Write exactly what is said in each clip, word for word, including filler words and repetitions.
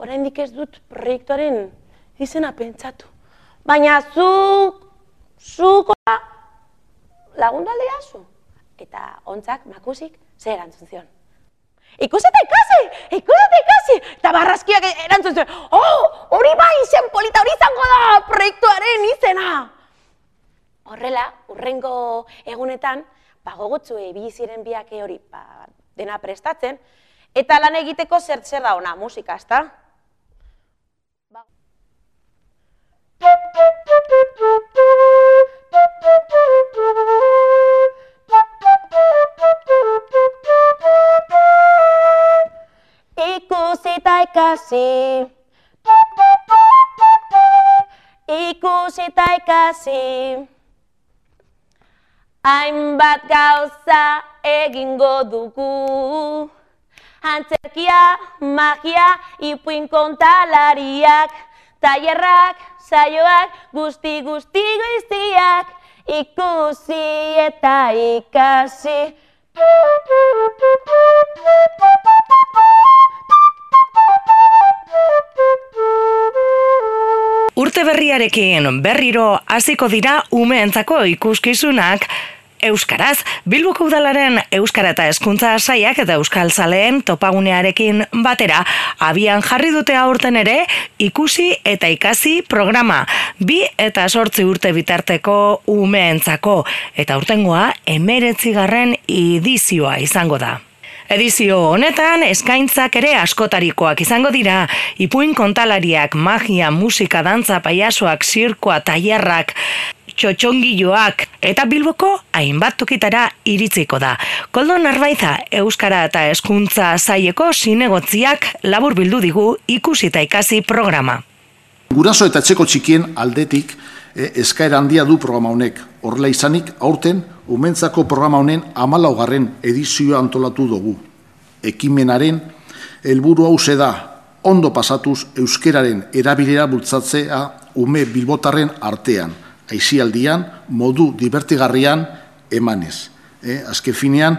oraindik ez dut proiektuaren izena pentsatu. Baina zuk, zuk lagundu aldeazu. Eta ontzak, makusik, zer erantzun zion. Ikusi eta ikasi, ikusi eta ikasi, eta barraskiak erantzun zion. Oh, hori bai, izen polita, hori izango da proiektuaren izena. Horrela, urrengo egunetan, bagogotzu ibili ziren biak hori dena prestatzen, eta lan egiteko zer zer da ona, musika, ezta? Ikusi eta ikasi, ikusi eta ikasi, hainbat gauza egingo dugu, antzerkia, magia, ipuin kontalariak, tailerrak, saioak, guzti guzti goiztiak, ikusi eta ikasi. Urte berriarekin berriro hasiko dira umeentzako ikuskizunak euskaraz. Bilboko Udalaren Euskara eta Hezkuntza Sailak eta Euskaltzaleen topagunearekin batera abian jarri dute aurten ere ikusi eta ikasi programa. Bi eta zortzi urte bitarteko umeentzako eta aurtengoa hemeretzigarren edizioa izango da. Edizio honetan eskaintzak ere askotarikoak izango dira, ipuin kontalariak, magia, musika, dantza, pailazoak, zirkoa, tailerrak, txotxongiloak eta Bilboko hainbat tokitara iritziko da. Koldo Narbaiza, Euskara eta Hezkuntza Saileko zinegotziak labur bildu digu ikusi eta ikasi programa. Guraso eta etxeko txikien aldetik eh, eskaera handia du programa honek. Horrela izanik, aurten, umentzako programa honen hamalaugarren edizioa antolatu dugu. Ekimenaren helburu hauxe da, ondo pasatuz euskeraren erabilera bultzatzea ume bilbotarren artean, aisialdian, modu divertigarrian emanez. Eh, azken finean,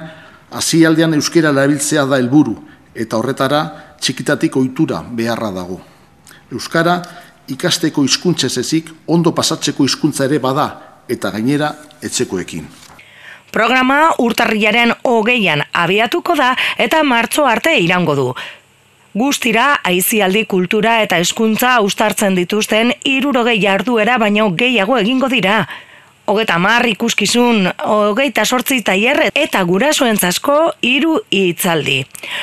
aisialdian euskera erabiltzea da helburu, eta horretara txikitatik ohitura beharra dago. Euskara ikasteko hizkuntzez ezik, ondo pasatzeko hizkuntza ere bada, eta gainera etxekoekin. Programa urtarrilaren hogeian abiatuko da eta martxo arte iraungo du. Guztira, aisialdi, kultura eta hezkuntza uztartzen dituzten hirurogei jarduera baino gehiago egingo dira. Hogeita hamar ikuskizun, hogeita zortzi tailer eta gurasoentzako hiru hitzaldi.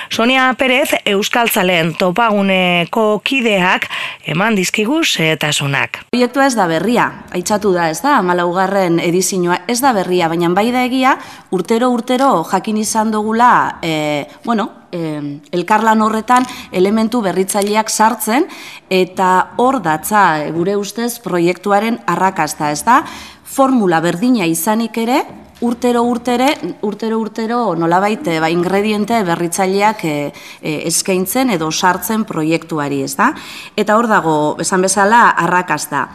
Sonia Perez, Euskaltzaleen topaguneko kideak, eman dizkigu xehetasunak. Proiektua ez da berria, aitzatu da, ez da, hamalaugarren edizioa ez da berria, baina bai da egia, urtero urtero jakin izan dugula, e, bueno, e, elkarlan horretan elementu berritzaileak sartzen, eta hor datza, gure ustez, proiektuaren arrakasta, ez da, formula berdina izanik ere, urtero urtere, urtero urtero nolabait ba, ingrediente berritzaileak e, e, eskaintzen edo sartzen proiektuari, ez da? Eta hor dago, esan bezala, arrakasta.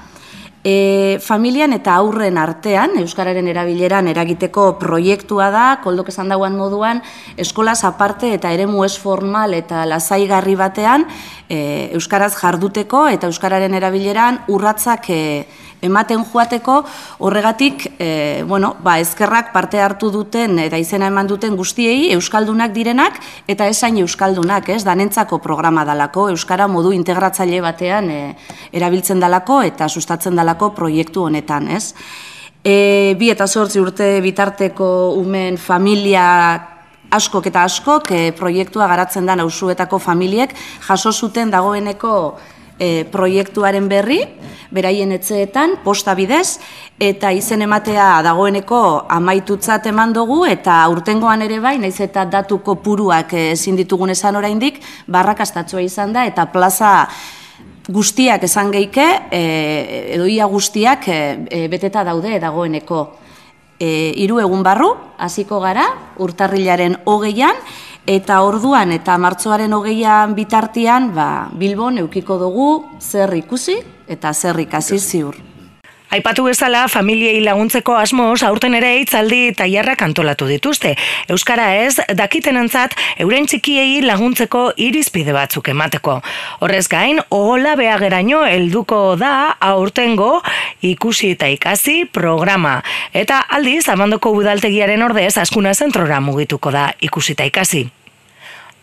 E, familian eta aurren artean, euskararen erabileran eragiteko proiektua da, Koldok esan dauan moduan, eskolaz aparte eta eremu ez formal eta lasaigarri batean, e, euskaraz jarduteko eta euskararen erabileran urratzak e, ematen joateko, horregatik, e, bueno, ba, eskerrak parte hartu duten eta izena eman duten guztiei, euskaldunak direnak eta esain euskaldunak, ez, danentzako programa dalako, euskara modu integratzaile batean e, erabiltzen dalako eta sustatzen dalako proiektu honetan, ez. E, bi eta zortzi urte bitarteko umen familia askok eta askok e, proiektua garatzen da nauzuetako familiek jaso zuten dagoeneko E, proiektuaren berri, beraien etxeetan, posta bidez, eta izen ematea dagoeneko amaitutzat eman dugu, eta urtengoan ere bai, naiz eta datu kopuruak ezin ditugun esan oraindik, barrakastatsua izan da, eta plaza guztiak esan geike, e, edo ia guztiak e, beteta daude dagoeneko. E, hiru egun barru, hasiko gara, urtarrilaren hogeian, eta orduan eta martxoaren hogeian bitartean ba, Bilbon eukiko dugu zer ikusi eta zer ikasi ziur. Aipatu bezala, familiei laguntzeko asmoz, aurten ere hitzaldi tailerrak antolatu dituzte. Euskara ez, dakitenentzat, euren txikiei laguntzeko irizpide batzuk emateko. Horrez gain, ohola beageraino helduko da aurtengo ikusi eta ikasi programa. Eta aldiz, Abandoko udaltegiaren ordez, Azkuna zentrora mugituko da ikusi eta ikasi.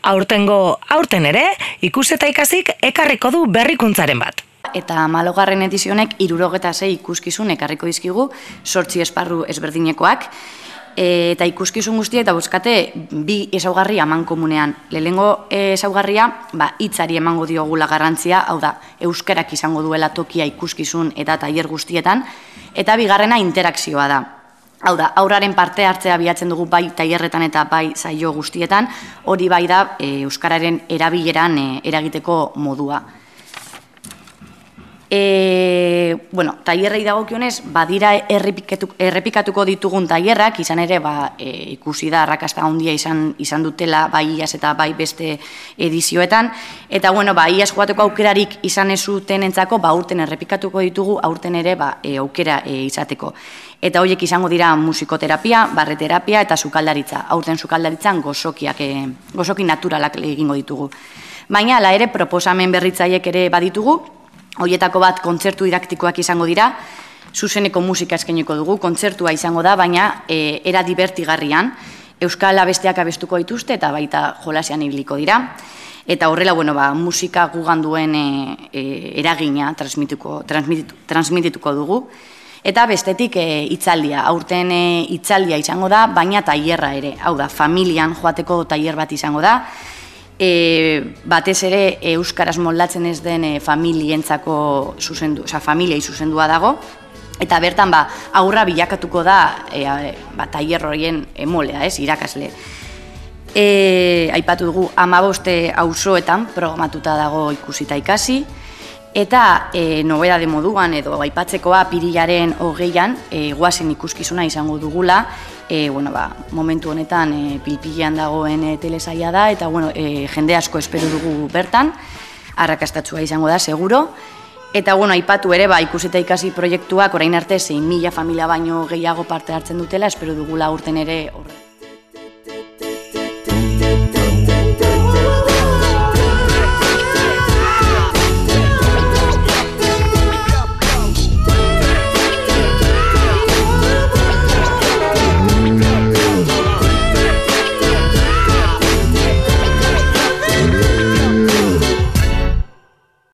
Aurtengo, aurten ere, ikusi eta ikasik ekarriko du berrikuntzaren bat. Eta hamalaugarren edizionek hirurogeta sei ikuskizun ekarriko dizkigu, zortzi esparru ezberdinekoak, eta ikuskizun guztia eta bozkate bi ezaugarri amankomunean. Lehenengo ezaugarria, ba, hitzari emango diogula garrantzia, hau da, euskarak izango duela tokia ikuskizun eta tailer guztietan, eta bigarrena interakzioa da. Hau da, aurraren parte hartzea bilatzen dugu bai tailerretan eta bai saio guztietan, hori bai da euskararen erabileran eragiteko modua. E, bueno, tailerrei dagokionez, badira errepikatuko ditugun tailerrak, izan ere ba, e, ikusi da arrakasta handia izan, izan dutela bai iaz eta bai beste edizioetan, eta bueno, ba, iaz joateko aukerarik izan ez zutenentzako, ba, aurten errepikatuko ditugu, aurten ere ba, e, aukera e, izateko. Eta horiek izango dira musikoterapia, barreterapia eta sukaldaritza. Aurten sukaldaritzan gozokiak, e, gozoki naturalak egingo ditugu. Baina, ala ere, proposamen berritzaiek ere baditugu, horietako bat kontzertu didaktikoak izango dira, zuzeneko musika eskainiko dugu, kontzertua izango da, baina e, era divertigarrian, euskal abesteak abestuko dituzte eta baita jolasean ibiliko dira. Eta horrela, bueno, ba, musika gugan duen e, e, eragina transmituko, transmititu, transmitituko dugu. Eta bestetik e, itzaldia, aurten e, itzaldia izango da, baina tailerra ere, hau da, familian joateko tailer bat izango da, E, batez ere euskaraz moldatzen ez den e, familientzako zuzendu, oza, familiei zuzendua dago, eta bertan ba, aurra bilakatuko da e, ba, tailer horien emolea, ez, irakasle. E, aipatu dugu hamabost auzoetan programatuta dago ikusita ikasi, eta e, nobeda de moduan edo aipatzekoa apirilaren hogeian e, goazen ikuskizuna izango dugula. E, bueno, ba, momentu honetan e, pilpilean dagoen e, telesaia da, eta bueno, e, jende asko espero dugu bertan, arrakastatsua izango da, seguro. Eta bueno, aipatu ere, ba, ikusita ikasi proiektuak orain arte zein mila familia baino gehiago parte hartzen dutela, espero dugula urten ere horre.